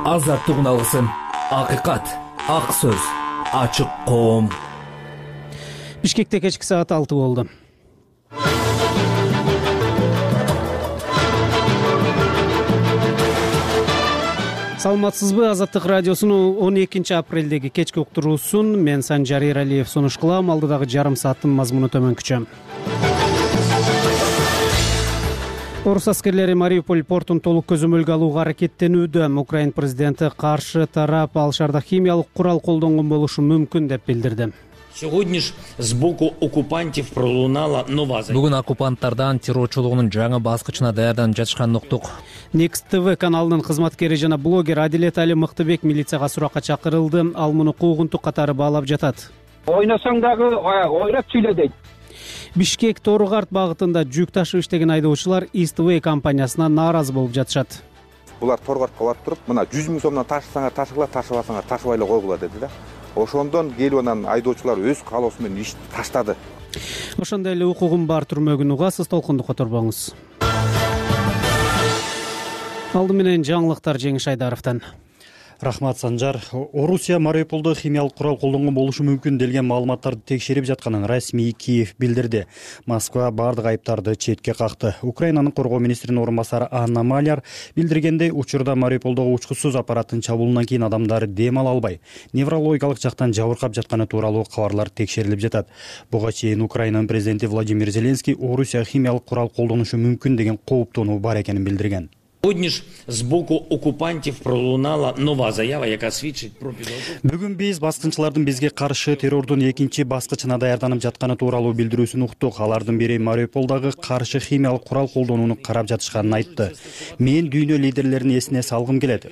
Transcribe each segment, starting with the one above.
Азаттыгын алгысың. Акыйкат, ак сөз, ачык коом. Бишкекте кечки саат 6 болду. Саламатсызбы? Азаттык радиосунун 12-апрелдеги кечки уктуруусун мен Санжар Эралиев сунуш кылам. Алдыдагы жарым сааттын мазмуну төмөнкүчө. Орус аскерлери Мариуполь портун толук көзөмөлгө алууга аракеттенүүдө. Украин президенти каршы тарап ал шаарда химиялык курал колдонгон болушу мүмкүн деп билдирди. Сьогодні ж з боку окупантів пролунала нова заява. Бүгүн оккупанттардан террорчулугунун жаңы баскычына даярданып жатышканын уктук. Next TV каналынын кызматкери жана блогер Адилет Али Мыктыбек милицияга суракка чакырылды. Ал муну куугунтук катары баалап жатат. Ойносоң дагы ойрап сүйлө дейт. Бишкек Торгарт багытында жүк ташып иштеген айдоочулар Eastway компаниясына нааразы болуп жатышат. Булар Торгартка барып туруп, мына 100 000 сомдон ташысаңар ташыгыла, ташыбасаңар ташыбай эле койгула дедиле. Ошондон келип анан айдоочулар өз каалоосу менен ишти таштады. Ошондой эле укугум бар түрмөгүн угасыз, толкунду которбоңуз. Алды менен жаңылыктар Жеңиш Айдаровдон. Рахмат Санжар. Орусия Мариуполдо химиялык курал колдонгон болушу мүмкүн делген маалыматтарды текшерип жатканын расмий Киев билдирди. Москва бардык айыптарды четке какты. Украинанын коргоо министринин орун басары Анна Маляр билдиргендей, учурда Мариуполдогу учкусуз аппараттын чабуулунан кийин адамдар дем ала албай, неврологиялык жактан жабыркап жатканы тууралуу кабарлар текшерилип жатат. Буга чейин Украинанын президенти Владимир Зеленский Орусия химиялык курал колдонушу мүмкүн деген кооптонуу бар экенин билдирген. Сьогодні ж з боку окупантів пролунала нова заява, яка свідчить про підготовку. Бүгүн биз баскынчылардын бизге каршы террордун экинчи баскычына даярданып жатканы тууралуу билдирүүсүн уктук. Алардын бири Мариуполдогу каршы химиялык курал колдонууну карап жатышканын айтты. Мен дүйнө лидерлерин эсине салгым келет.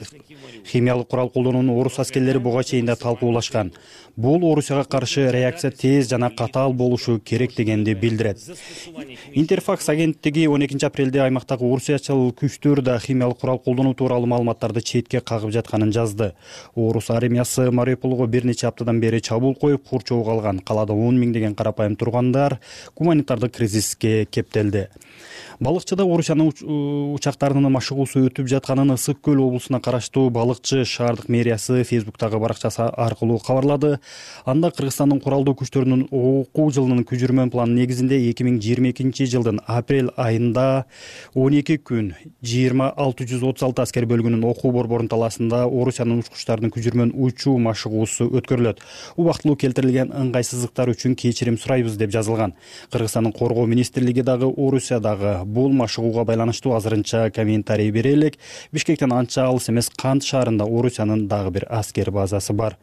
Химиялык курал колдонууну орус аскерлери буга чейин да талкуулашкан. Бул Орусияга каршы реакция тез жана катаал болушу керек дегенди билдирет. Интерфакс агенттиги 12-апрелде аймактагы орусиячыл күчтөр да химиялык курал колдонуу тууралуу маалыматтарды четке кагып жатканын жазды. Орус армиясы Мариуполго бир нече аптадан бери чабуул коюп, курчоого алган. Калаада 10 миңдеген карапайым тургандар гуманитардык кризиске кептелди. Балыкчыда Орусиянын учактарынын машыгуусу өтүп жатканын Ысык көл облусуна караштуу балыкчы шаардык мэриясы Фейсбуктагы баракчасы аркылуу кабарлады. Анда Кыргызстандын куралдуу күчтөрүнүн окуу жылынын күжүрмөн планы негизинде 2022 жылдын апрель айында 12 күн 20636 аскер бөлүгүнүн окуу борборунун талаасында Орусиянын учкучтарынын күжүрмөн учуу машыгуусу өткөрүлөт. Убактылуу келтирилген ыңгайсыздыктар үчүн кечирим сурайбыз деп жазылган. Кыргызстандын коргоо министрлиги дагы Орусиядагы бул машыгууга байланыштуу азырынча комментарий бере элек. Бишкектен анча алыс эмес Кант шаарында Орусиянын дагы бир аскер базасы бар.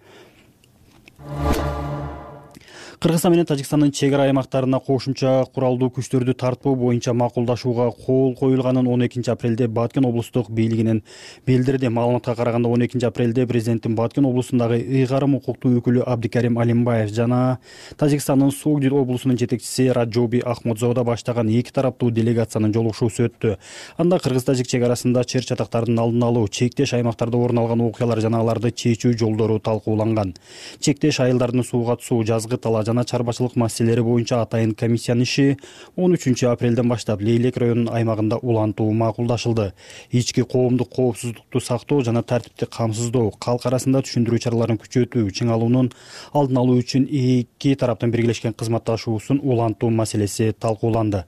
Кыргызстан менен Тажикстандын чек ара аймактарына кошумча куралдуу күчтөрдү тартпоо боюнча макулдашууга кол коюлганын 12-апрелде Баткен облустук бийлигинен билдирди. Маалыматка караганда 12-апрелде президенттин Баткен облусундагы ыйгарым укуктуу өкүлү Абдикарим Алимбаев жана Тажикстандын Сугди облусунун жетекчиси Раджоби Ахмадзода баштаган эки тараптуу делегациянын жолугушуусу өттү. Анда кыргыз-тажик чек арасында чыр чатактардын алдын алуу, чектеш аймактарда орун алган окуялар жана аларды чечүү жолдору талкууланган. Чектеш айылдардын сууга түсүү, жазгы талаа жана чарбачылык маселелери боюнча атайын комиссиянын иши 13-апрелден баштап Лейлек районунун аймагында улантуу макулдашылды. Ички коомдук коопсуздукту сактоо жана тартипти камсыздоо, калк арасында түшүндүрүү чараларын күчөтүү, чыңалуунун алдын алуу үчүн эки тараптын биргелешкен кызматташуусун улантуу маселеси талкууланды.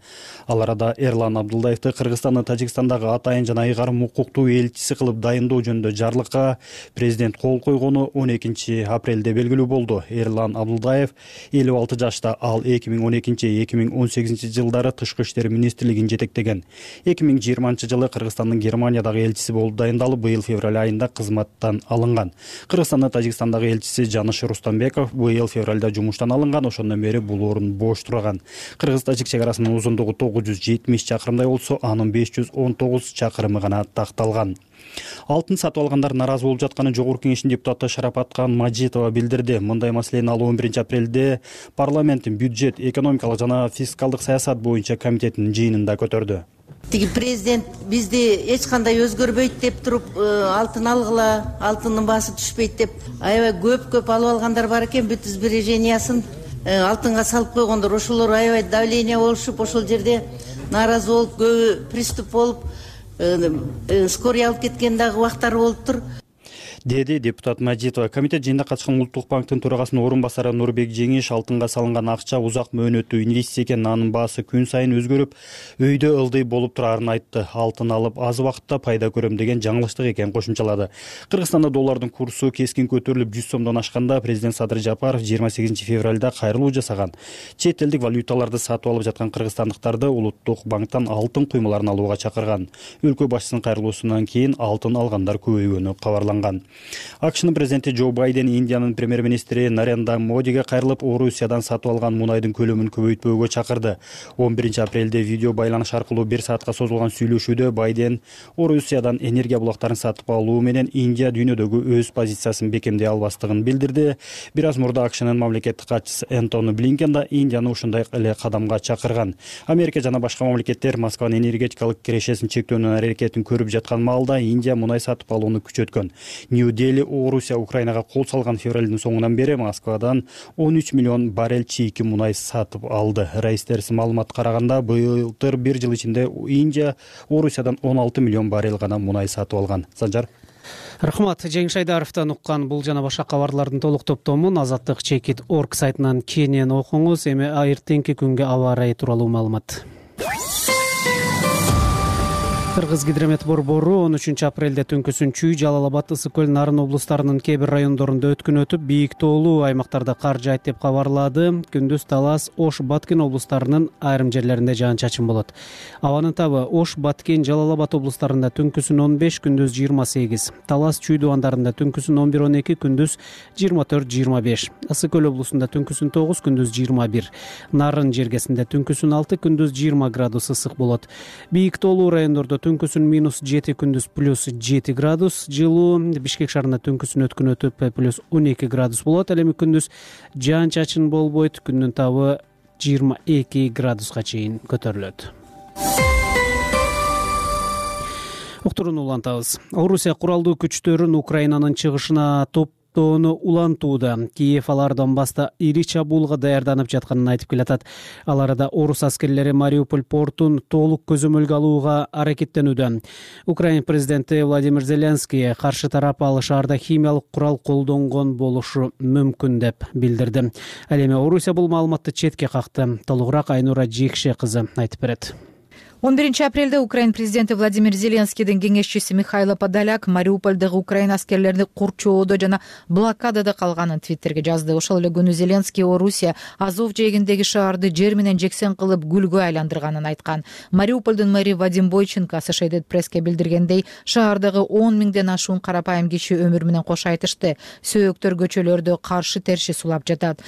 Ал арада Эрлан Абдулдаевди Кыргызстандын Тажикстандагы атайын жана ыйгарым укуктуу элчиси кылып дайындоо жөнүндө жарлыкка президент кол койгону 12-апрелде белгилүү болду. Эрлан Абдулдаев 56 жашта, ал 2012-2018 жылдары Тышкы иштер министрлигин жетектеген. 2020 жылы Кыргызстандын Германиядагы элчиси болуп дайындалып, быйыл февраль айында кызматтан алынган. Кыргызстандын Тажикстандагы элчиси Жаныш Рустамбеков быйыл февралда жумуштан алынган, ошондон бери бул орун бош турган. Кыргыз-тажик чек арасынын узундугу 970 чакырымдай болсо, анын 519 чакырымы гана такталган. Алтын сатып алгандар наразы болуп жатканын Жогорку кеңештин депутаты Шарапаткан Мажитова билдирди. Мындай маселени ал 11-апрелде парламенттин бюджет, экономикалык жана фискалдык саясат боюнча комитетинин жыйынында көтөрдү. Тиги президент бизди эч кандай өзгөрбөйт деп туруп, алтын алгыла, алтындын баасы түшпөйт деп аябай көп алып алгандар бар экен. Бүт сбережениясын алтынга салып койгондор. Ошолор аябай давление болушуп, ошол жерде нааразы болуп, көбү приступ болуп, скорый алып кеткен дагы убактар болуптур. деди депутат Мажитова. Комитет жыйынына катышкан Улуттук банктын төрагасынын орун басары Нурбек Жеңиш алтынга салынган акча узак мөөнөттүү инвестиция экен, анын баасы күн сайын өзгөрүп, өйдө ылдый болуп турарын айтты. Алтын алып аз убакытта пайда көрөм деген жаңылыштык экен кошумчалады. Кыргызстанда доллардын курсу кескин көтөрүлүп 100 сомдон ашканда президент Садыр Жапаров 28 февралда кайрылуу жасаган. Чет элдик валюталарды сатып алып жаткан кыргызстандыктарды Улуттук банктан алтын куймаларын алууга чакырган. Өлкө башчысынын кайрылуусунан кийин алтын алгандар көбөйгөнү кабарланган. АКШнын президенти Джо Байден Индиянын премьер-министри Нарендра Модиге кайрылып, Орусиядан сатып алган мунайдын көлөмүн көбөйтпөөгө чакырды. 11 апрелде видео байланыш аркылуу 1 саатка созулган сүйлөшүүдө Байден Орусиядан энергия булактарын сатып алуу менен Индия дүйнөдөгү өз позициясын бекемдей албастыгын билдирди. Бир аз мурда АКШнын мамлекеттик катчысы Энтони Блинкен да Индияны ушундай эле кадамга чакырган. Америка жана башка мамлекеттер Москванын энергетикалык кирешесин чектөөнүн аракетин көрүп жаткан маалда Индия мунай сатып алууну күчөткөн. Нью-Дели Орусия Украинага кол салган февралдын соңунан бери Москвадан 13 миллион баррель чийки мунай сатып алды. Рейстерс маалымат караганда былтыр 1 жыл ичинде Индия Орусиядан 16 миллион баррель гана мунай сатып алган. Санжар. Рахмат. Жеңиш Айдаровдон уккан бул жана башка кабарлардын толук топтомун azatlyk.org сайтынан кенен окуңуз. Эми эртеңки күнгө аба ырайы тууралуу маалымат. Кыргыз гидромет борбору 13 апрелде түнкүсүн Чүй, Жалал Абад, Ысык Көл, Нарын облустарынын кээ бир райондорунда өткүн өтүп, бийик тоолуу аймактарда кар жаайт деп кабарлады. Күндүз Талас, Ош, Баткен облустарынын айрым жерлеринде жаан-чачын болот. Абанын табы Ош, Баткен, Жалал Абад облустарында түнкүсүн 15, күндүз 28. Талас, Чүй дубандарында түнкүсүн 11-12, күндүз 24-25. Ысык Көл облусунда түнкүсүн 9, күндүз 21. Нарын жергесинде түнкүсүн 6, күндүз 20 градус ысык болот. Бийик тоолуу райондордо түнкүсүн -7, күндүз +7 градус. Жылуу Бишкек шаарында түнкүсүн өткүн өтүп +12 градус болот. Ал эми күндүз жаан-чачын болбойт. Күндүн табы 22 градуска чейин көтөрүлөт. Уктурууну улантабыз. Орусия куралдуу күчтөрүн Украинанын чыгышына топтоону улантууда. Киев алар Донбасста ири чабуулга даярданып жатканын айтып келатат. Ал арада орус аскерлери Мариуполь портун толук көзөмөлгө алууга аракеттенүүдө. Украин президенти Владимир Зеленский каршы тарап ал шаарда химиялык курал колдонгон болушу мүмкүн деп билдирди. Ал эми Орусия бул маалыматты четке какты. Толугураак Айнура Жекше кызы айтып берет. 11 апрелде Украин президенти Владимир Зеленскийдин кеңешчиси Михайло Подоляк Мариупольдогу Украин аскерлерини курчоодо жана блокадада калганын Твиттерге жазды. Ошол эле күнү Зеленский Орусия Азов жээгиндеги шаарды жер менен жексен кылып гүлгө айландырганын айткан. Мариупольдун мэри Вадим Бойченко Associated Press'ке билдиргендей, шаардагы 10 миңден ашуун карапайым киши өмүр менен кош айтышты. Сөөктөр көчөлөрдө каршы терши сулап жатат.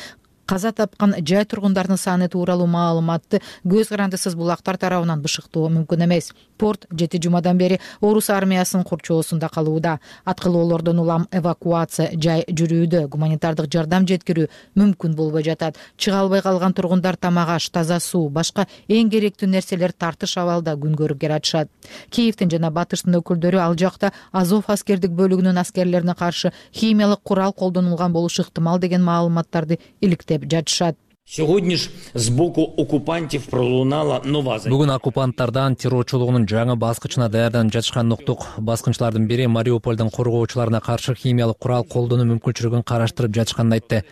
Каза тапкан жай тургундардын саны тууралуу маалыматты көз карандысыз булактар тарабынан бышыктоо мүмкүн эмес. Порт 7 жумадан бери орус армиясынын курчоосунда калууда. Аткылоолордон улам эвакуация жай жүрүүдө. Гуманитардык жардам жеткирүү мүмкүн болбой жатат. Чыга албай калган тургундар тамак аш, таза суу, башка эң керектүү нерселер тартыш абалда күн көрүп келатышат. Киевдин жана Батыштын өкүлдөрү ал жакта Азов аскердик бөлүгүнүн аскерлерине каршы химиялык курал колдонулган болушу ыктымал деген маалыматтарды иликтеп жатышат. Сьогодні ж з боку окупантів пролунала нова заява. Бүгүн оккупанттардан террорчулугунун жаңы баскычына даярданып жатышканын уктук. Баскынчылардын бири Мариупольдун коргоочуларына каршы химиялык курал колдонуу мүмкүнчүлүгүн караштырып жатышканын айтты.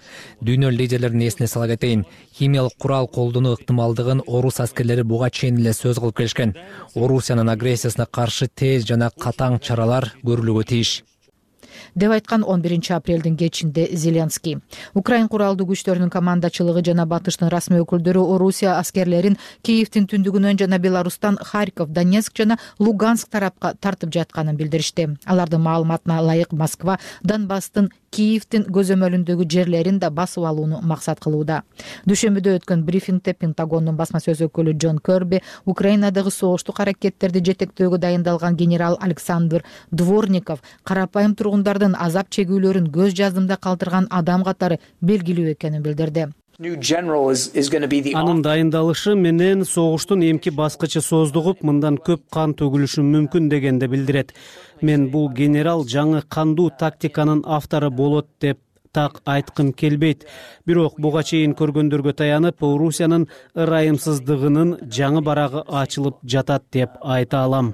Дүйнө лидерлеринин эсине сала кетейин. Химиялык курал колдонуу ыктымалдыгын орус аскерлери буга чейин эле сөз кылып келишкен. Орусиянын агрессиясына каршы тез жана катаң чаралар көрүлүүгө тийиш деп айткан 11 апрелдин кечинде Зеленский. Украин куралдуу күчтөрүнүн командачылыгы жана Батыштын расмий өкүлдөрү Орусия аскерлерин Киевдин түндүгүнөн жана Беларустан Харьков, Донецк жана Луганск тарапка тартып жатканын билдиришти. Алардын маалыматына ылайык Москва Донбасстын Киевдин көзөмөлүндөгү жерлерин да басып алууну максат кылууда. Дүйшөмбүдө өткөн брифингде Пентагондун басма сөз өкүлү Джон Керби Украинадагы согуштук аракеттерди жетектөөгө дайындалган генерал Александр Дворников карапайым тургундардын азап чегүүлөрүн көз жаздымда калтырган адам катары белгилүү экенин билдирди. Анын дайындалышы менен согуштун эмки баскычы создугуп, мындан көп кан төгүлүшү мүмкүн дегенди билдирет. Мен бул генерал жаңы кандуу тактиканын автору болот деп так айткым келбейт. Бирок буга чейин көргөндөргө таянып, Орусиянын ырайымсыздыгынын жаңы барагы ачылып жатат деп айта алам.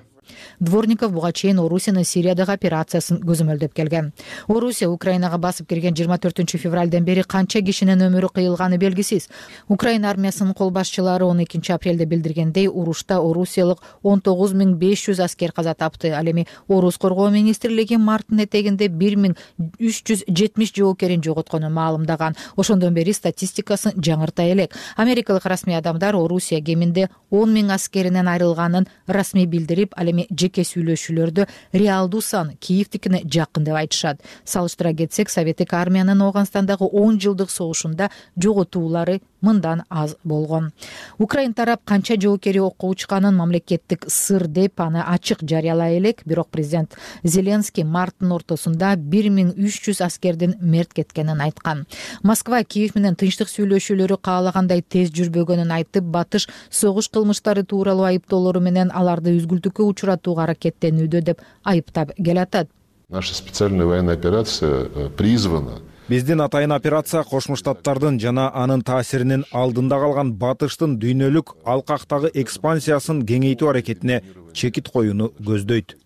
Дворников буга чейин Орусиянын Сириядагы операциясын көзөмөлдөп келген. Орусия Украинага басып кирген 24 февралдан бери канча кишинин өмүрү кыйылганы белгисиз. Украина армиясынын кол башчылары 12 апрелде билдиргендей, урушта орусиялык 19500 аскер каза тапты. Ал эми Орус коргоо министрлиги марттын этегинде 1370 жоокерин жоготконун маалымдаган. Ошондон бери статистикасын жаңырта элек. Америкалык расмий адамдар Орусия кеминде 10 000 аскеринен айрылганын расмий билдирип, ал эми жеке сүйлөшүүлөрдө реалдуу сан Киевдикине жакын деп айтышат. Салыштыра кетсек, Советтик армиянын Ооганстандагы 10 жылдык согушунда жоготуулары мындан аз болгон. Украин тарап канча жоокери окко учканын мамлекеттик сыр деп аны ачык жарыялай элек, бирок президент Зеленский марттын ортосунда 1300 аскердин мерт кеткенин айткан. Москва Киев менен тынчтык сүйлөшүүлөрү каалагандай тез жүрбөгөнүн айтып, батыш согуш кылмыштары тууралуу айыптоолору менен аларды үзгүлтүккө учуратууга аракеттенүүдө деп айыптап келатат. Наша специальная военная операция призвана. Биздин атайын операция Кошмо Штаттардын жана анын таасиринин алдында калган батыштын дүйнөлүк алкактагы экспансиясын кеңейтүү аракетине чекит коюуну көздөйт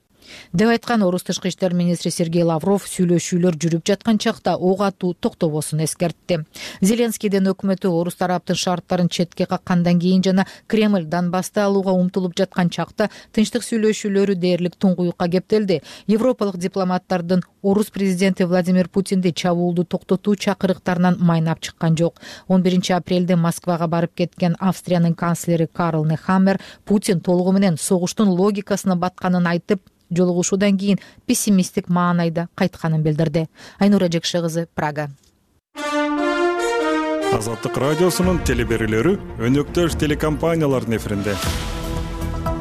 деп айткан Орус тышкы иштер министри Сергей Лавров сүйлөшүүлөр жүрүп жаткан чакта ок атуу токтобосун эскертти. Зеленскийдин өкмөтү Орус тараптын шарттарын четке каккандан кийин жана Кремль Донбассты алууга умтулуп жаткан чакта тынчтык сүйлөшүүлөрү дээрлик туңгуюкка кептелди. Европалык дипломаттардын Орус президенти Владимир Путинди чабуулду токтотуу чакырыктарынан майнап чыккан жок. 11 апрелде Москвага барып кеткен Австриянын канцлери Карл Нехаммер Путин толугу менен согуштун логикасына батканын айтып, жолугушуудан кийин пессимисттик маанайда кайтканын билдирди. Айнура Жекше кызы, Прага. Азаттык радиосунун телеберүүлөрү өнөктөш телекомпаниялардын эфиринде.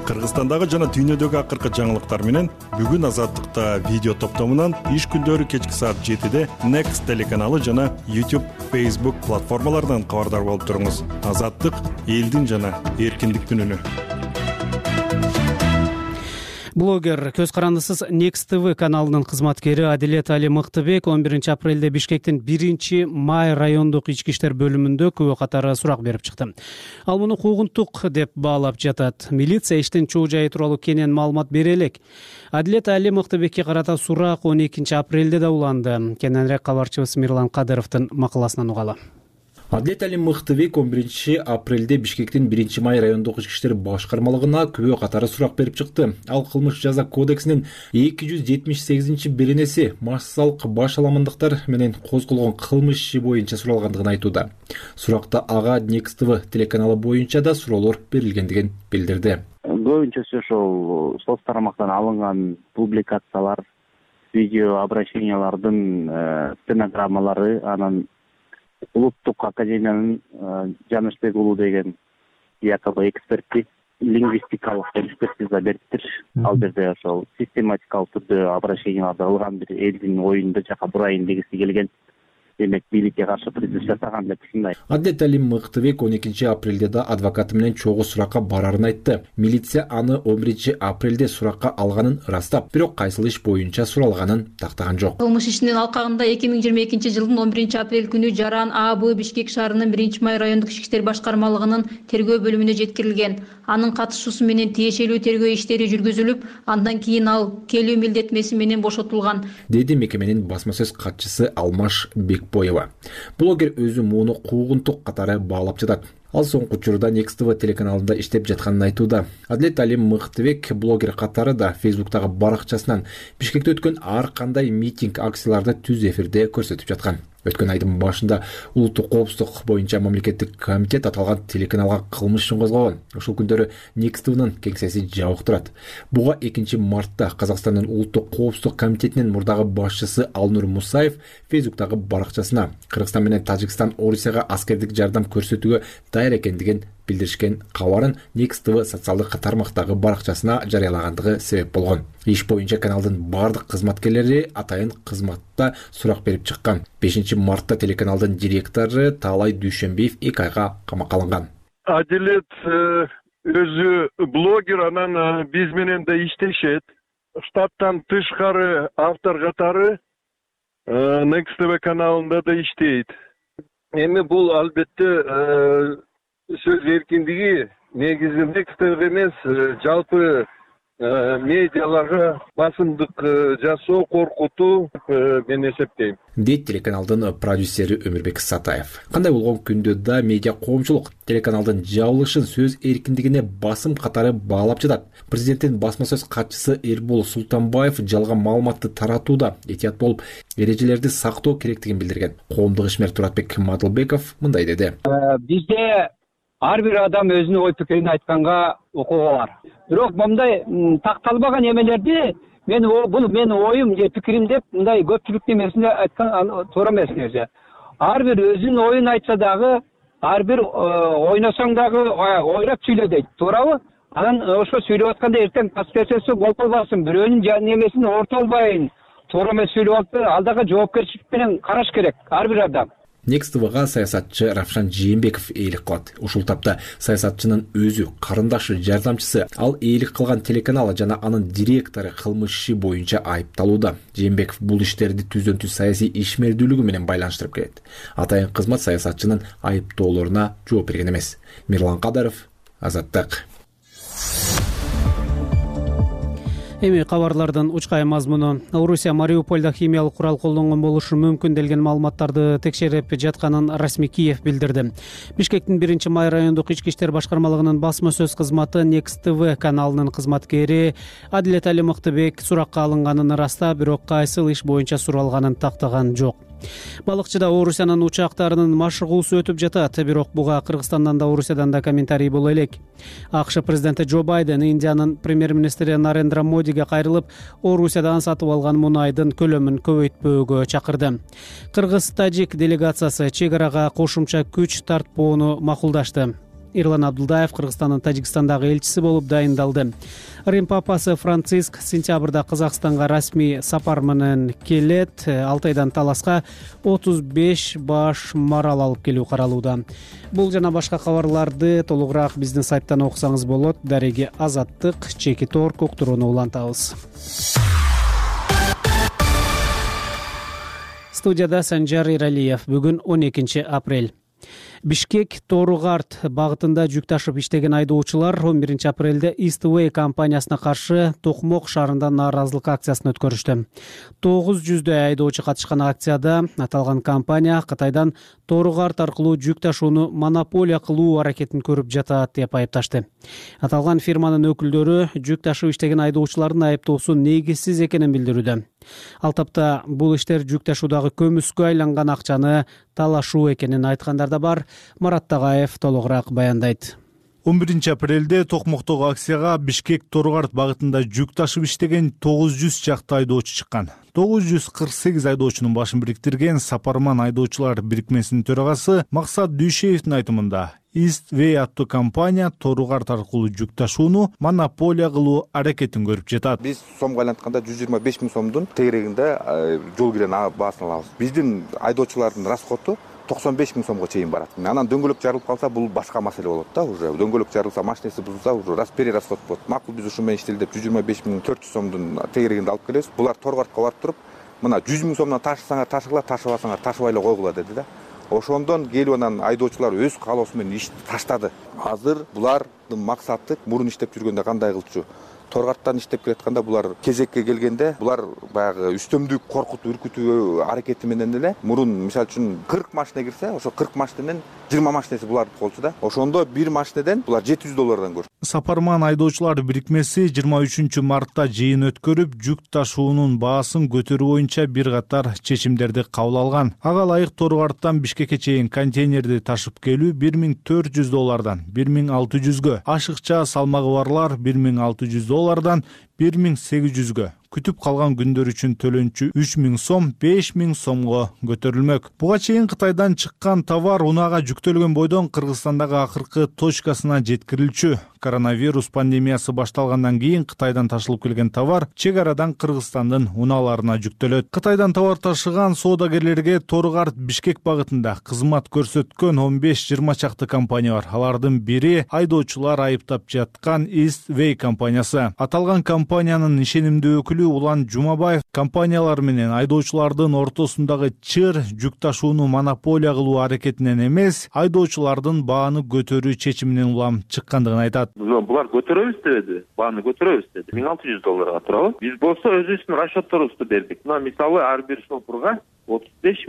Кыргызстандагы жана дүйнөдөгү акыркы жаңылыктар менен бүгүн Азаттыкта видео топтомунан иш күндөрү кечки саат 7-де Next телеканалы жана YouTube, Facebook платформаларынан кабардар болуп туруңуз. Азаттык элдин жана эркиндиктин үнү. Блогер көз карандысыз Next TV каналынын кызматкери Адилет Али Мыктыбек 11 апрелде Бишкектин 1 май райондук ички иштер бөлүмүндө күбө катары сурак берип чыкты. Ал муну куугунтук деп баалап жатат. Милиция иштин чоо жайы тууралуу кенен маалымат бере элек. Адилет Али Мыктыбекке карата сурак 12 апрелде да уланды. Кененирээк кабарчыбыз Мирлан Кадыровдун макаласынан угалы. Адилет Али Мыктыбек 11 апрелде Бишкектин 1 май райондук ички иштер башкармалыгына күбө катары сурак берип чыкты. Ал кылмыш жаза кодексинин 278-беренеси массалык баш аламандыктар менен козголгон кылмыш иши боюнча суралгандыгын айтууда. Суракта ага Next TV телеканалы боюнча да суроолор берилгендигин билдирди. Көбүнчөсү ошол соц тармактан алынган публикациялар, видео обращениялардын стенограммалары, анан Улуттук академиянын Жанышбек уулу деген якобы эксперти лингвистикалык экспертиза бериптир. Ал жерде ошол систематикалык түрдө обращенияларды алган, бир элдин оюнда жака бурайын дегиси келген. Демек бийликке каршы призыв жасаган деп түшүнөйм. Адилет Али Мыктыбек 12 апрелде да адвокаты менен чогуу суракка барарын айтты. Милиция аны 11 апрелде суракка алганын ырастап, бирок кайсыл иш боюнча суралганын тактаган жок. Кылмыш ишинин алкагында 2022 жылдын 11 апрель күнү Жаран АБ Бишкек шаарынын 1 май райондук ички иштер башкармалыгынын тергөө бөлүмүнө жеткирилген. Анын катышуусу менен тиешелүү тергөө иштери жүргүзүлүп, андан кийин ал келүү милдетмеси менен бошотулган, деди мекеменин басма сөз катчысы Алмаш Бекбоева. Блогер өзү муну куугунтук катары баалап жатат. Ал соңку учурда Next TV телеканалында иштеп жатканын айтууда. Адилет Али Мыктыбек блогер катары да Facebook'тагы баракчасынан Бишкекте өткөн ар кандай митинг, акцияларды түз эфирде көрсөтүп жаткан. Өткөн айдын башында улуттук коопсуздук боюнча мамлекеттик комитет аталган телеканалга кылмыш ишин козгогон. Ошол күндөрү Next TV'нын кеңсеси жабык турат. Буга 2 мартта Казакстандын улуттук коопсуздук комитетинин мурдагы башчысы Алнур Мусаев Facebook'тагы баракчасына Кыргызстан менен Тажикстан Орусияга аскердик жардам көрсөтүүгө даяр экендигин билдиришкен кабарын Next TV социалдык тармактагы баракчасына жарыялагандыгы себеп болгон. Иш боюнча каналдын бардык кызматкерлери атайын кызматта сурак берип чыккан. 5 мартта телеканалдын директору Таалай Дүйшөнбиев 2 айга камакка алынган. Адилет өзү блогер, анан биз менен да иштешет. Штаттан тышкары автор катары Next TV каналында да иштейт. Эми бул албетте сөз эркиндиги негизи Next TV эмес, жалпы медиаларга басымдык жасоо, коркутуу мен эсептейм, дейт телеканалдын продюсери Өмүрбек Сатаев. Кандай болгон күндө да медиа коомчулук телеканалдын жабылышын сөз эркиндигине басым катары баалап жатат. Президенттин басма сөз катчысы Эрбол Султанбаев жалган маалыматты таратууда этият болуп, эрежелерди сактоо керектигин билдирген. Коомдук ишмер Туратбек Мадылбеков мындай деди. Бизде ар бир адам өзүнүн ой пикирин айтканга укугу бар. Бирок мындай такталбаган эмелерди буну менин оюм же пикирим деп мындай көпчүлүктүн эмесинде айткан туура эмес нерсе. Ар бир өзүнүн оюн айтса дагы, ар бир ойносоң дагы ойлоп сүйлө дейт, туурабы? Анан ошо сүйлөп атканда эртең последствиясы болуп калбасын, бирөөнүн эмесин ортолбайын, туура эмес сүйлөп алып, ал дагы жоопкерчилик менен караш керек ар бир адам. Next TV'га саясатчы Равшан Жээнбеков ээлик кылат. Ушул тапта саясатчынын өзү, карындашы, жардамчысы, ал ээлик кылган телеканал жана анын директору кылмыш иши боюнча айыпталууда. Жээнбеков бул иштерди түздөн-түз саясий ишмердүүлүгү менен байланыштырып келет. Атайын кызмат саясатчынын айыптоолоруна жооп берген эмес. Мирлан Кадаров, Азаттык. Эми кабарлардын учкай мазмуну. Орусия Мариупольдо химиялык курал колдонгон болушу мүмкүн делген маалыматтарды текшерип жатканын расмий Киев билдирди. Бишкектин 1-май райондук ички иштер башкармалыгынын басма сөз кызматы Next TV каналынын кызматкери Адилет Али Мыктыбек суракка алынганын ырастап, бирок кайсыл иш боюнча суралганын тактаган жок. Балыкчыда Орусиянын учактарынын машыгуусу өтүп жатат, бирок буга Кыргызстандан да Орусиядан да комментарий боло элек. АКШ президенти Джо Байден Индиянын премьер-министри Нарендра Модиге кайрылып, Орусиядан сатып алган мунайдын көлөмүн көбөйтпөөгө чакырды. Кыргыз-тажик делегациясы чек арага кошумча күч тартпоону макулдашты. Ирлан Абдулдаев Кыргызстандын Тажикстандагы элчиси болуп дайындалды. Рим папасы Франциск сентябрда Казакстанга расмий сапар менен келет. 6 айдан таласка 35 баш марал алып келүү каралууда. Бул жана башка кабарларды толугураак биздин сайттан окусаңыз болот. Дареги Азаттык, чекит орг уктурууну улантабыз. Студияда Санжар Иралиев. Бүгүн 12 апрель. Бишкек Тооругарт багытында жүк ташып иштеген айдоочулар 11 апрелде East Way компаниясына каршы Токмок шаарында нааразылык акциясын өткөрүштү. 900дөй айдоочу катышкан акцияда аталган компания Кытайдан Тооругарт аркылуу жүк ташууну монополия кылуу аракетин көрүп жатат деп айыпташты. Аталган фирманын өкүлдөрү жүк ташып иштеген айдоочулардын айыптоосу негизсиз экенин билдирүүдө. Ал тапта бул иштер жүк ташуудагы көмүскө айланган акчаны талашуу экенин айткандар да бар. Марат Тагаев толугураак баяндайт. 11 апрелде Токмоктогу акцияга Бишкек Тооругарт багытында жүк ташып иштеген 900 чакты айдоочу чыккан. 948 айдоочунун башын бириктирген Сапарман айдоочулар бирикмесинин төрагасы Максат Дүйшеевдин айтымында East Way аттуу компания Тооругарт аркылуу жүк ташууну монополия кылуу аракетин көрүп жатат. Биз сомго айлантканда 125 000 сомдун тегерегинде жол кирен баасын алабыз. Биздин айдоочулардын расходу 95 000 сомго чейин барат. Анан дөңгөлөк жарылып калса бул башка маселе болот да, уже дөңгөлөк жарылса, машинеси бузулса, уже перерасход болот. Макул биз ушу менен иштелдеп 125 400 сомдун тегерегинде алып келебиз. Булар Тооргартка барып туруп, мына 100 000 сомдон ташысаңар ташыгыла, ташыбасаңар ташыбай эле койгула деди да. Ошондон келип анан айдоочулар өз каалоосу менен ишти таштады. Азыр булардын максаты мурун иштеп жүргөндө кандай кылчу? Тооргарттан иштеп келатканда булар кезекке келгенде булар баягы үстөмдүк коркутуп үркүтүү аракети менен эле мурун мисалы үчүн 40 машина кирсе, ошо 40 машинанын 20 машинеси булардыкы болчу да. Ошондо бир машинеден булар $700 көрчү. Сапарман айдоочулар бирикмеси 23 мартта жыйын өткөрүп, жүк ташуунун баасын көтөрүү боюнча бир катар чечимдерди кабыл алган. Ага ылайык Тооругарттан Бишкекке чейин контейнерди ташып келүү $1400 $1600гө, ашыкча салмагы барлар $1600 $1800гө, күтүп калган күндөр үчүн төлөнчү 3000 сом 5000 сомго көтөрүлмөк. Буга чейин Кытайдан чыккан товар унаага жүктөлгөн бойдон Кыргызстандагы акыркы точкасына жеткирилчү. Коронавирус пандемиясы башталгандан кийин Кытайдан ташылып келген товар чек арадан Кыргызстандын унааларына жүктөлөт. Кытайдан товар ташыган соодагерлерге Тооругарт Бишкек багытында кызмат көрсөткөн 15-20 чакты компания бар. Алардын бири айдоочулар айыптап жаткан East Way компаниясы. Аталган компаниянын ишенимдүү өкүлү Улан Жумабаев компаниялар менен айдоочулардын ортосундагы чыр жүк ташууну монополия кылуу аракетинен эмес, айдоочулардын бааны көтөрүү чечиминен улам чыккандыгын айтат. Булар көтөрөбүз дебеди, бааны көтөрөбүз деди. $1600 турабы. Биз болсо өзүбүздүн расчетторубузду бердик. Мына мисалы ар бир шопурга 35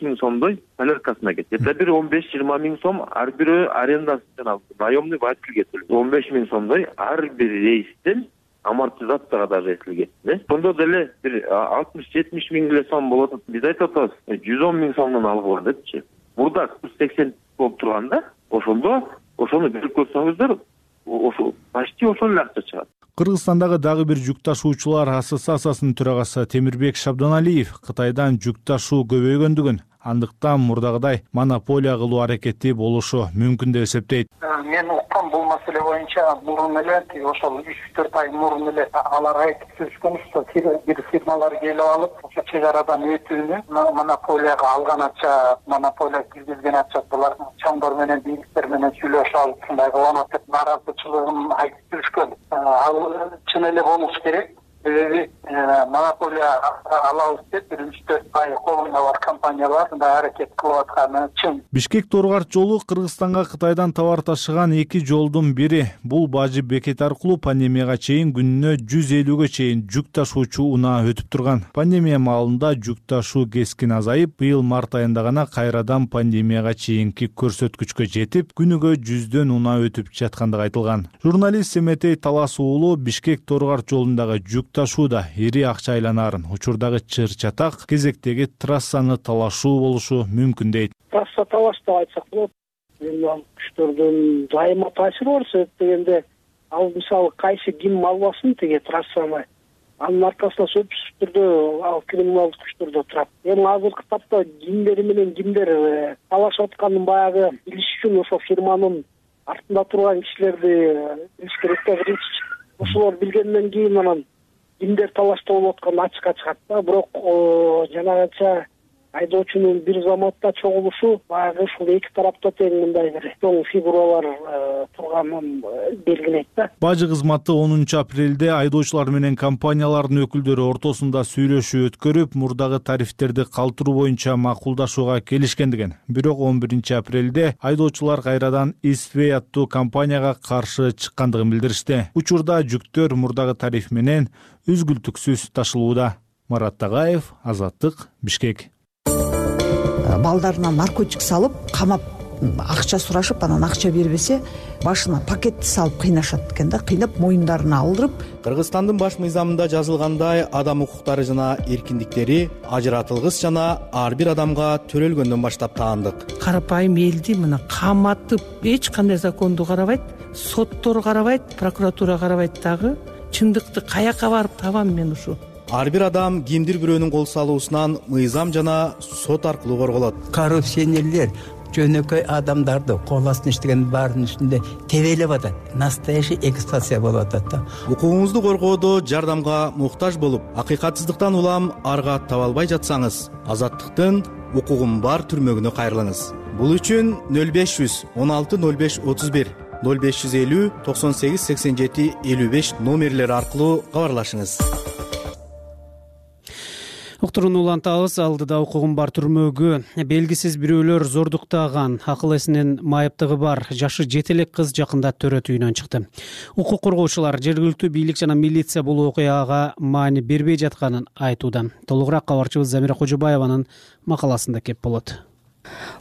миң сомдой соляркасына кетет. Это бир 15-20 миң сом ар бирөө арендасы жана наемный водительге төлөйт. 15 миң сомдой ар бир рейстен амортизацияга даже эсилген. Сонда деле бир 60-70 миң эле сом болот. Биз айтып атабыз, 110 миң сомдон алгыла депчи. Мурда 180 болуп турганда, ошону берип көрсөңүздөр, ошо почти ошол эле акча чыгат. Кыргызстандагы дагы бир жүк ташуучулар ассоциациясынын төрагасы Темирбек Шабданалиев Кытайдан жүк ташуу көбөйгөндүгүн, андыктан мурдагыдай монополия кылуу аракети болушу мүмкүн деп эсептейт. Мен уккан бул маселе боюнча мурун эле ошол 3-4 ай мурун эле алар айтып жүрүшкөн, ошо бир фирмалар келип алып, ошо чек арадан өтүүнү монополияга алган акча, монополия киргизген акча булар чоңдор менен, бийликтер менен сүйлөшүп алып, ушундай кыланат деп наразычылыгын айтып жүрүшкөн. Ал чын эле болуш керек. Монополия алабыз деп 3-4 ай колунда бар компаниялар мындай аракет кылып атканы чын. Бишкек-Торгарт жолу Кыргызстанга Кытайдан товар ташыган эки жолдун бири. Бул бажы бекет аркылуу пандемияга чейин күнүнө 150-гө чейин жүк ташуучу унаа өтүп турган. Пандемия маалында жүк ташуу кескин азайып, быйыл март айында гана кайрадан пандемияга чейинки көрсөткүчкө жетип, күнүгө 100дөн унаа өтүп жаткандыгы айтылган. Журналист Семетей Талас уулу Бишкек-Торгарт жолундагы жүк ташууда ири акча айланаарын, учурдагы чыр-чатак кезектеги трассаны талашуу болушу мүмкүн дейт. Трасса талаш деп айтсак болот. Ал күчтөрдүн дайыма таасири бар, себеп дегенде ал мисалы кайсы ким албасын теге трассаны, анын аркасында сөзсүз түрдө ал криминалдык күчтөрдө турат. Эми азыркы тапта кимдер менен кимдер талашып атканын баягы билиш үчүн ошо фирманын артында турган кишилерди билиш керек да. Биринчи ошолор билгенден кийин анан кимдер талашта болуп атканы ачыкка чыгат да. Бирок жанагынча айдоочунун бир заматта чогулушу баягы ушул эки тарапта тең мындай бир чоң фигуралар турганын белгилейт да. Бажы кызматы 10 апрелде айдоочулар менен компаниялардын өкүлдөрү ортосунда сүйлөшүү өткөрүп, мурдагы тарифтерди калтыруу боюнча макулдашууга келишкендигин. Бирок 11 апрелде айдоочулар кайрадан Eastway аттуу компанияга каршы чыккандыгын билдиришти. Учурда жүктөр мурдагы тариф менен үзгүлтүксүз ташылууда. Марат Тагаев, Азаттык, Бишкек. Балдарына наркотик салып, камап акча сурашып, анан акча бербесе, башына пакетти салып кыйнашат экен да, кыйнап моюндарына алдырып. Кыргызстандын баш мыйзамында жазылгандай, адам укуктары жана эркиндиктери ажыратылгыс жана ар бир адамга төрөлгөндөн баштап таандык. Карапайым элди мына каматып, эч кандай законду карабайт, соттор карабайт, прокуратура карабайт дагы. Чындыкты каяка барып табам мен ушу? Ар бир адам кимдир бирөөнүн кол салуусунан мыйзам жана сот аркылуу корголот. Коррупционерлер жөнөкөй адамдарды кол астына иштеген баарынын үстүндө тебелеп атат. Настоящий эксплуатация болуп атат да. Укугуңузду коргоодо жардамга муктаж болуп, акыйкатсыздыктан улам арга таба албай жатсаңыз, Азаттыктын укугум бар түрмөгүнө кайрылыңыз. Бул үчүн 0500 16 05 31 0550 98 87 55 номерлери аркылуу кабарлашыңыз. Уктурууну улантабыз. Алдыда укугум бар түрмөгү белгисиз бирөөлөр зордуктаган, акыл эсинин майыптыгы бар жашы 7 элек кыз жакында төрөт үйүнөн чыкты. Укук коргоочулар жергиликтүү бийлик жана милиция бул окуяга маани бербей жатканын айтууда. Толугураак кабарчыбыз Замира Кожобаеванын макаласында кеп болот.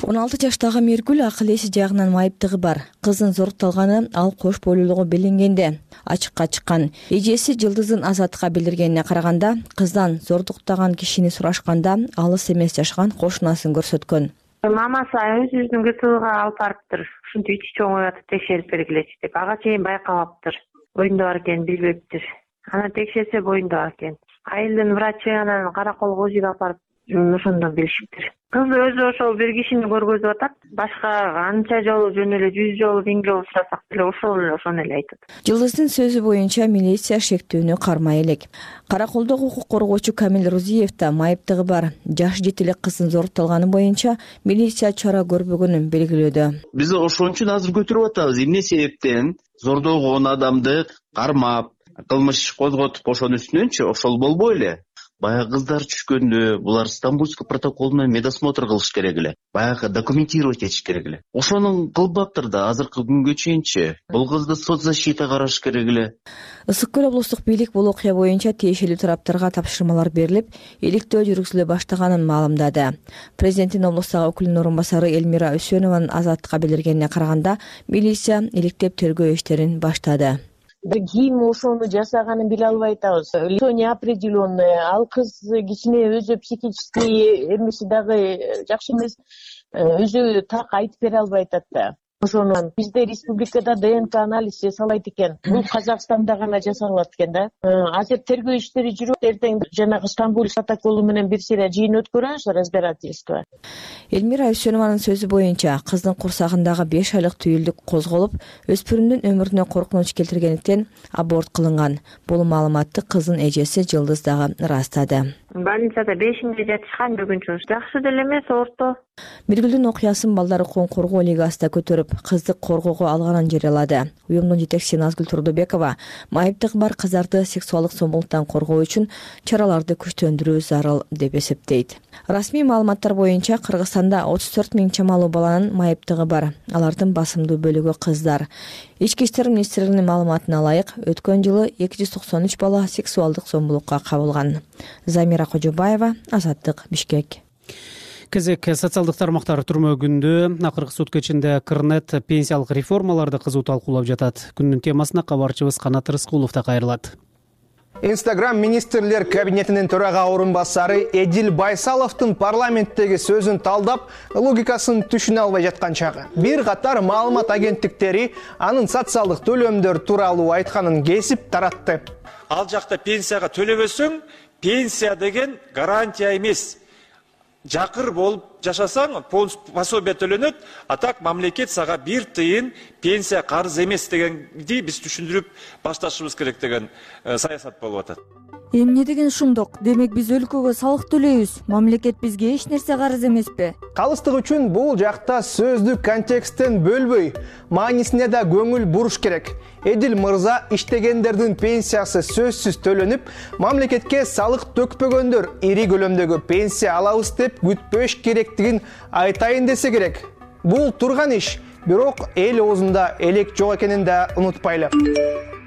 16 жаштагы Меркуль акыл эси жагынан майыптыгы бар. Кыздын зорукталганы ал кош бойлуулугу билингенде ачыкка чыккан. Эжеси Жылдыздын Азаттыкка билдиргенине караганда, кыздан зордуктаган кишини сурашканда алыс эмес жашаган кошунасын көрсөткөн. Мамасы өзүнүн ГТОга алып барыптыр. Ушинтип ичи чоңоюп атып текшерип бергилечи деп. Ага чейин байкабаптыр. Боюнда бар экенин билбептир. Анан текшерсе боюнда бар экен. Айылдын врачы анан караколго УЗИге алып барып ошондон билишиптир. Кыз өзү ошол бир кишини көргөзүп атат. Башка анча жолу жөн эле 100 жолу 1000 жолу сурасак деле ошону эле айтат. Жылдыздын сөзү боюнча милиция шектүүнү кармай элек. Караколдогу укук коргоочу Камил Рузиев да майыптыгы бар жаш 7 элек кыздын зорукталганы боюнча милиция чара көрбөгөнүн белгилөөдө. Биз ошон үчүн азыр көтөрүп атабыз. Эмне себептен зордолгон адамды кармап, кылмыш козготуп ошонун үстүнөнчү ошол болбой эле баягы кыздар түшкөндө булар Стамбульский протокол менен медосмотр кылыш керек эле, баягы документировать этиш керек эле. Ошону кылбаптыр да азыркы күнгө чейинчи. Бул кызды соцзащита караш керек эле. Ысык Көл облустук бийлик бул окуя боюнча тиешелүү тараптарга тапшырмалар берилип, иликтөө жүргүзүлө баштаганын маалымдады. Президенттин облустагы өкүлүнүн орун басары Элмира Үсөнованын Азаттыкка билдиргенине караганда, милиция иликтеп тергөө иштерин баштады. Ким ошону жасаганын биле албай атабыз. Лицо неопределенное, ал кыз кичине өзү психический эмеси дагы жакшы эмес, өзү так айтып бере албай атат да. Ошону бизде республикада ДНК анализ жасалат экен. Бул Казакстанда гана жасалат экен да. Азыр тергөө иштери жүрүп, эртең жанагы Стамбул протоколу менен бир сыйра жыйын өткөрөбүз, разбирательство. Элмира Үсөнованын сөзү боюнча, кыздын курсагындагы 5 айлык түйүлдүк козголуп, өспүрүмдүн өмүрүнө коркунуч келтиргендиктен аборт кылынган. Бул маалыматты кыздын эжеси Жылдыз дагы ырастады. Больницада 5-инде жатышкан, бүгүн жакшы деле эмес, орто. Миргүлдүн окуясын Балдар укугун коргоо лигасы да көтөрүп, кызды коргоого алганын жарыялады. Уюмдун жетекчиси Назгүл Турдубекова майыптыгы бар кыздарды сексуалдык зомбулуктан коргоо үчүн чараларды күчтөндүрүү зарыл деп эсептейт. Расмий маалыматтар боюнча Кыргызстанда 34 000 чамалуу баланын майыптыгы бар. Алардын басымдуу бөлүгү кыздар. Ички иштер министрлигинин маалыматына ылайык, өткөн жылы 293 бала сексуалдык зомбулукка кабылган. Замира Кожобаева, Азаттык, Бишкек. Кезек социалдык тармактар түрмөгүндө акыркы сутка ичинде Кырнет пенсиялык реформаларды кызуу талкуулап жатат. Күндүн темасына кабарчыбыз Канат Рыскулов да кайрылат. Инстаграм министрлер кабинетинин төрага орун басары Эдил Байсаловдун парламенттеги сөзүн талдап, логикасын түшүнө албай жаткан чагы. Бир катар маалымат агенттиктери анын социалдык төлөмдөр тууралуу айтканын кесип таратты. Ал жакта пенсияга төлөбөсөң, пенсия деген гарантия эмес. Жакыр болуп жашасаң, пособие төлөнөт, а так мамлекет сага 1 тыйын пенсия карыз эмес дегенди биз түшүндүрүп башташыбыз керек деген саясат болуп атат. Эмне деген ушундук? Демек биз өлкөгө салык төлөйбүз. Мамлекет бизге эч нерсе карыз эмеспи? Калыстык үчүн бул жакта сөздүк контексттен бөлбөй, маанисине да көңүл буруш керек. Эдил мырза иштегендердин пенсиясы сөзсүз төлөнүп, мамлекетке салык төкпөгөндөр ири көлөмдөгү пенсия алабыз деп күтпөш керектигин айтайын десе керек. Бул турган иш, бирок эл оозунда элек жок экенин да унутпайлы.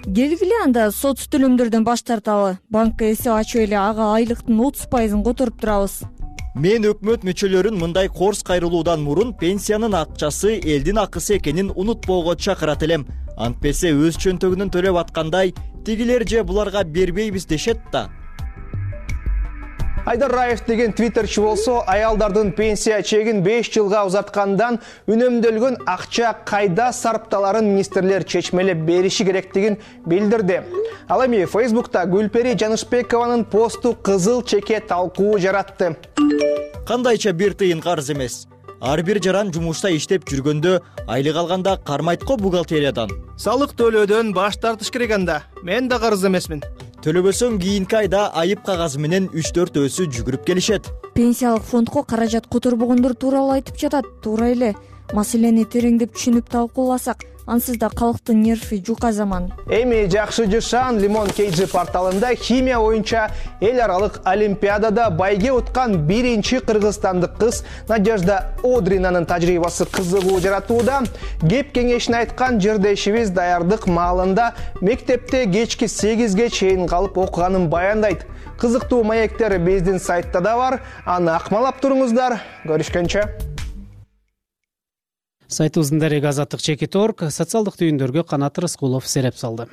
Келгиле анда соц төлөмдөрдөн баш тарталы. Банкка эсеп ачып эле ага айлыктын 30%-ын которуп турабыз. Мен өкмөт мүчөлөрүн мындай корс кайрылуудан мурун пенсиянын акчасы элдин акысы экенин унутпоого чакырат элем. Антпесе өз чөнтөгүнөн төлөп аткандай, тигилер же буларга бербейбиз дешет да. Айдар Раев деген твиттерчи болсо, аялдардын пенсия чегин 5 жылга узаткандан үнөмдөлгөн акча кайда сарпталарын министрлер чечмелеп бериши керектигин билдирди. Ал эми Facebook'та Гүлпери Жанышбекованын посту кызыл чеке талкуу жаратты. Кандайча 1 тыйын карыз эмес. Ар бир жаран жумушта иштеп жүргөндө айлык алганда кармайт го бухгалтериядан. Салык төлөөдөн баш тартыш керек анда. Мен да карыз эмесмин. Төлөбөсөң кийинки айда айып кагазы менен 3-4 өсү жүгүрүп келишет. Пенсиялык фондко каражат которбогондор тууралуу айтып жатат. Туура эле. Маселени тереңдеп түшүнүп талкууласак, ансыз да калктын нерви жука заман. Эми жакшы жышан Лимон KG порталында химия боюнча эл аралык олимпиадада байге уткан биринчи кыргызстандык кыз Надежда Одринанын тажрыйбасы кызыгуу жаратууда. Кеп кеңешин айткан жырдешибиз даярдык маалында мектепте кечки 8ге чейин калып окуганын баяндайт. Кызыктуу маектер биздин сайтта да бар. Аны акмалап туруңуздар. Көрүшкөнчө. Сайтыбыздын дареги Азаттык Чекит.орг социалдык түйүндөргө Канат Рыскулов сереп салды.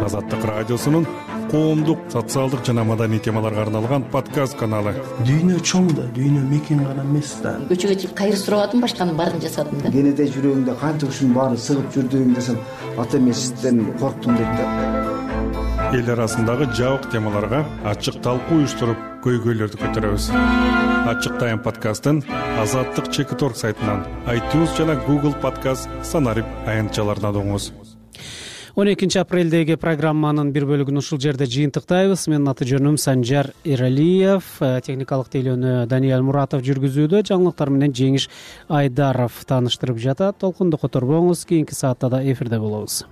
Азаттык радиосунун коомдук, социалдык жана маданий темаларга арналган подкаст каналы. Дүйнө чоң да, дүйнө мекен гана эмес да. Көчөгө чыгып кайыр сурабадым, башканын баарын жасадым да. Кенете жүрөгүңдө канча ушунун баары сыгып жүрдүң десем, ата эмесизден корктум дейт да. Эл арасындагы жабык темаларга ачык талкуу уюштуруп, көйгөйлөрдү көтөрөбүз. Ачык тайм подкастын Азаттык Чекит.орг сайтынан, iTunes жана Google Podcast санарип аянтчаларынан угуңуз. 12 апрелдеги программанын бир бөлүгүн ушул жерде жыйынтыктайбыз. Менин аты жөнүм Санжар Эралиев, техникалык тейлөөнү Даниэл Муратов жүргүзүүдө, жаңылыктар менен Жеңиш Айдаров тааныштырып жатат. Толкунду которбоңуз, кийинки саатта да эфирде болобуз.